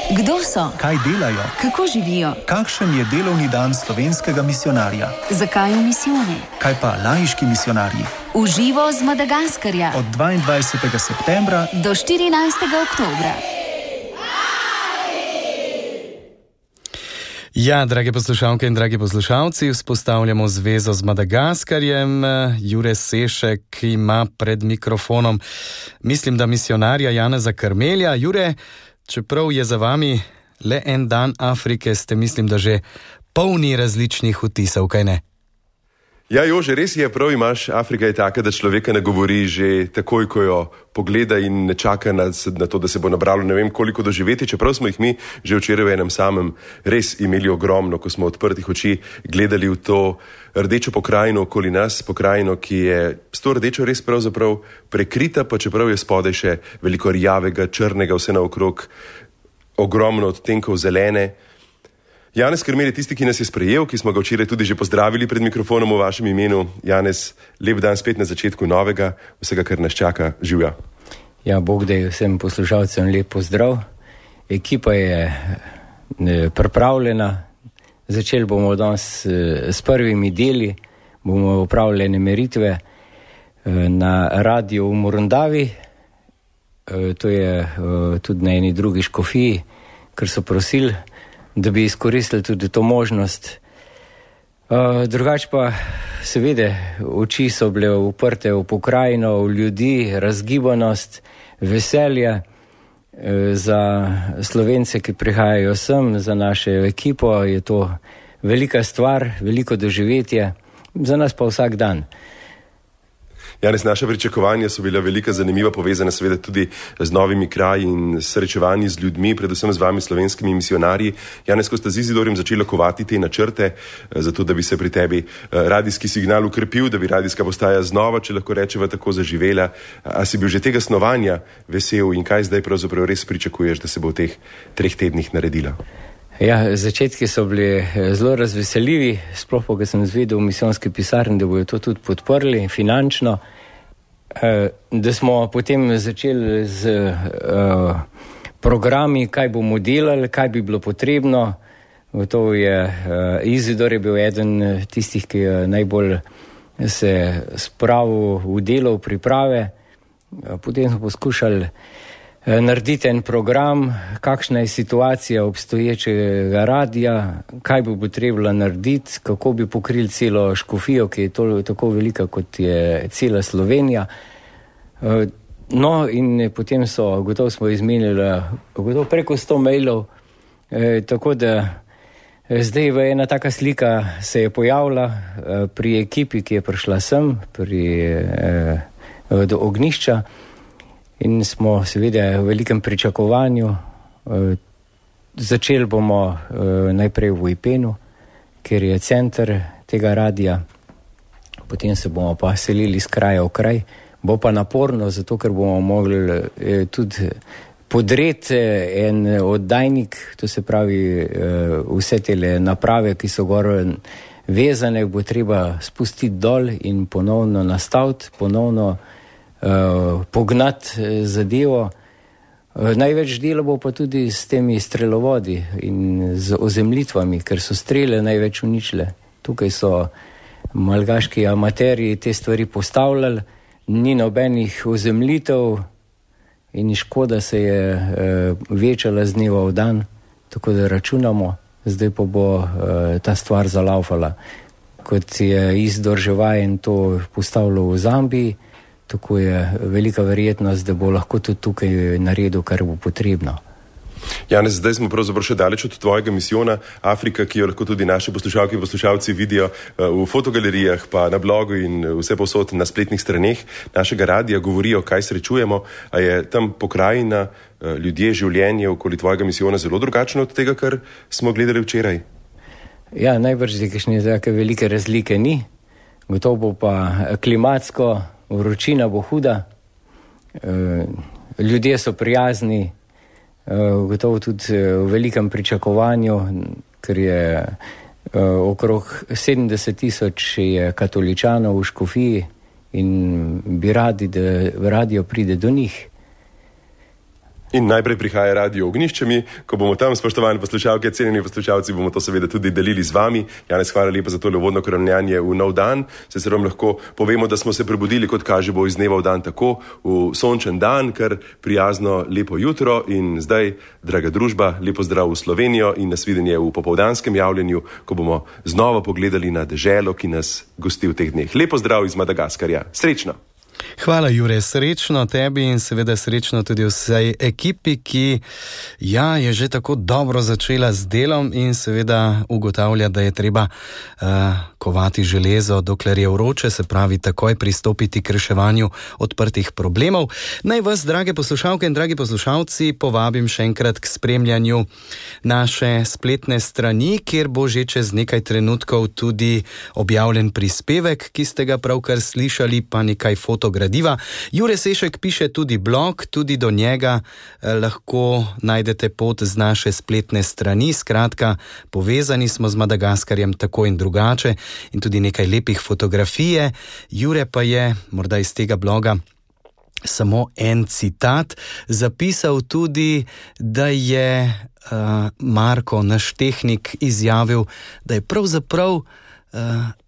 Kdo so? Kaj delajo? Kako živijo? Kakšen je delovni dan slovenskega misijonarja? Zakaj v misijone? Kaj pa laiški misijonarji? V živo z Madagaskarja. Od 22. septembra do 14. oktobra. Ja, drage poslušalke in dragi poslušalci, vzpostavljamo zvezo z Madagaskarjem. Jure Sešek ima pred mikrofonom, mislim, da misijonarja Janeza Krmelja. Jure, čeprav je za vami le en dan Afrike, ste, mislim, da že polni različnih vtisov, kaj ne? Ja, Jože, res je, prav imaš. Afrika je taka, da človeka ne govori že takoj, ko jo pogleda in ne čaka na to, da se bo nabralo ne vem koliko doživeti, čeprav smo jih mi že včeraj v enem samem res imeli ogromno, ko smo odprtih oči gledali v to rdečo pokrajino okoli nas, pokrajino, ki je s to rdečo res pravzaprav prekrita, pa čeprav je spodaj še veliko rjavega, črnega, vse naokrog, ogromno odtenkov zelene. Janez Krmelj je tisti, ki nas je sprejel, ki smo ga včeraj tudi že pozdravili pred mikrofonom v vašem imenu. Janez, lep dan spet na začetku novega, vsega, kar nas čaka, živja. Ja, Bog da je vsem poslušalcem lep pozdrav. Ekipa je pripravljena. Začeli bomo danes s prvimi deli, bomo opravljene meritve na radiju v Morondavi. To je tudi na eni drugi škofiji, ker so prosili, da bi izkoristili tudi to možnost. Drugače pa seveda oči so bile uprte v pokrajino, v ljudi, razgibanost, veselje za Slovence, ki prihajajo sem, za našo ekipo. Je to velika stvar, veliko doživetje, za nas pa vsak dan. Janez, naša pričakovanja so bila velika, zanimiva, povezana seveda tudi z novimi kraji in srečevanji z ljudmi, predvsem z vami, slovenskimi misijonarji. Janez, ko ste z Izidorjem začeli kovati te načrte, zato da bi se pri tebi radijski signal ukrepil, da bi radijska postaja znova, če lahko rečeva, tako zaživela. A si bil že tega snovanja vesel in kaj zdaj pravzaprav res pričakuješ, da se bo v teh 3 tednih naredila? Ja, začetki so bili zelo razveseljivi, sploh pa, ko sem zvedel v misijonski pisarni, da bojo to tudi podprli finančno, da smo potem začeli z programi, kaj bomo delali, kaj bi bilo potrebno. Gotovo je Izidor je bil eden tistih, ki je najbolj se spravil v delo, v priprave. Potem smo poskušali narediti en program, kakšna je situacija obstoječega radija, kaj bi potrebno narediti, kako bi pokrili celo škofijo, ki je tako velika, kot je cela Slovenija. No, in potem gotovo smo izmenili preko 100 mailov, tako da zdaj ena taka slika se je pojavila pri ekipi, ki je prišla sem, do ognjišča. In smo seveda v velikem pričakovanju. Začeli bomo najprej v Ipenu, kjer je center tega radija. Potem se bomo pa selili z kraja v kraj. Bo pa naporno, zato ker bomo mogli tudi podreti en oddajnik, to se pravi vse te naprave, ki so gor vezane, bo treba spustiti dol in ponovno nastaviti, ponovno pognati zadevo. Največ dela bo pa tudi s temi strelovodi in z ozemljitvami, ker so strele največ uničile. Tukaj so malgaški amaterji te stvari postavljali, ni nobenih ozemljitev in škoda se je večala z dneva v dan, tako da računamo, zdaj pa bo ta stvar zalaufala. Kot je Izidor že vajen to postavljal v Zambiji, tako je velika verjetnost, da bo lahko tudi tukaj naredil, kar bo potrebno. Janez, zdaj smo pravzaprav še daleč od tvojega misijona. Afrika, ki jo lahko tudi naši poslušalke in poslušalci vidijo v fotogalerijah, pa na blogu in vse povsod na spletnih straneh našega radija, govorijo, kaj srečujemo. A je tam pokrajina, ljudje, življenje okoli tvojega misijona zelo drugačno od tega, kar smo gledali včeraj? Ja, najbrž kakšne take velike razlike ni. Gotovo bo pa klimatsko, vročina bo huda, ljudje so prijazni, gotovo tudi v velikem pričakovanju, ker je okrog 70,000 je katoličanov v škofiji in bi radi, da radio pride do njih. In najprej prihaja Radio Ognjiščemi, ko bomo tam, spoštovani poslušalke, cenjeni poslušalci, bomo to seveda tudi delili z vami. Janez, hvala lepa za tole uvodno korenjanje v nov dan. Se vam lahko povemo, da smo se prebudili, kot kaže, bo iz dneva v dan tako, v sončen dan, kar prijazno, lepo jutro in zdaj, draga družba, lepo zdrav v Slovenijo in nasvidenje v popoldanskem javljenju, ko bomo znova pogledali na deželo, ki nas gosti v teh dneh. Lepo zdrav iz Madagaskarja. Srečno! Hvala, Jure, srečno tebi in seveda srečno tudi vsej ekipi, ki je že tako dobro začela z delom in seveda ugotavlja, da je treba kovati železo, dokler je vroče, se pravi takoj pristopiti k reševanju odprtih problemov. Naj vas, drage poslušalke in dragi poslušalci, povabim še enkrat k spremljanju naše spletne strani, kjer bo že čez nekaj trenutkov tudi objavljen prispevek, ki ste ga pravkar slišali, pa nekaj gradiva. Jure Sešek piše tudi blog, tudi do njega lahko najdete pot z naše spletne strani. Skratka, povezani smo z Madagaskarjem tako in drugače in tudi nekaj lepih fotografije. Jure pa je, morda iz tega bloga, samo en citat, zapisal tudi, da je Marko, naš tehnik, izjavil, da je pravzaprav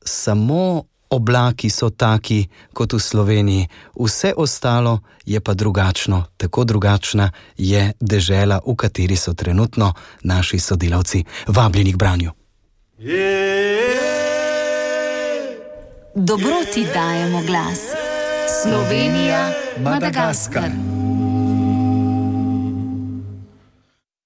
samo oblaki so taki kot v Sloveniji, vse ostalo je pa drugačno, tako drugačna je dežela, v kateri so trenutno naši sodelavci. Vabljeni k branju. Dobroti dajemo glas. Slovenija, Madagaskar.